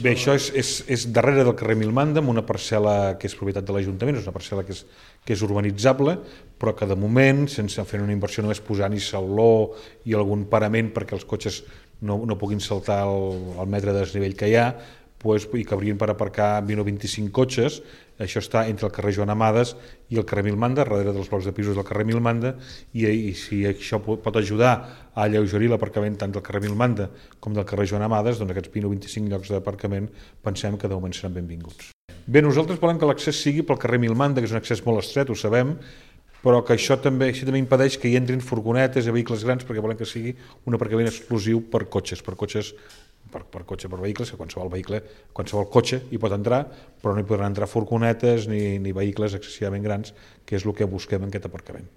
Bé, això és darrere del carrer Milmanda, amb una parcel·la que és propietat de l'Ajuntament, és una parcel·la que és urbanitzable, però que de moment, sense fer una inversió, només posant-hi sauló i algun parament perquè els cotxes no puguin saltar el metre de desnivell que hi ha, i que haurien per aparcar 20 o 25 cotxes. Això està entre el carrer Joan Amades i el carrer Milmanda, darrere dels blocs de pisos del carrer Milmanda, i si això pot ajudar a alleugerir l'aparcament tant del carrer Milmanda com del carrer Joan Amades, doncs aquests 20 o 25 llocs d'aparcament pensem que de moment seran benvinguts. Bé, nosaltres volem que l'accés sigui pel carrer Milmanda, que és un accés molt estret, ho sabem, però que això també impedeix que hi entrin furgonetes i vehicles grans, perquè volem que sigui un aparcament exclusiu per cotxes, per vehicles, que qualsevol cotxe hi pot entrar, però no hi podran entrar furgonetes ni vehicles excessivament grans, que és el que busquem en aquest aparcament.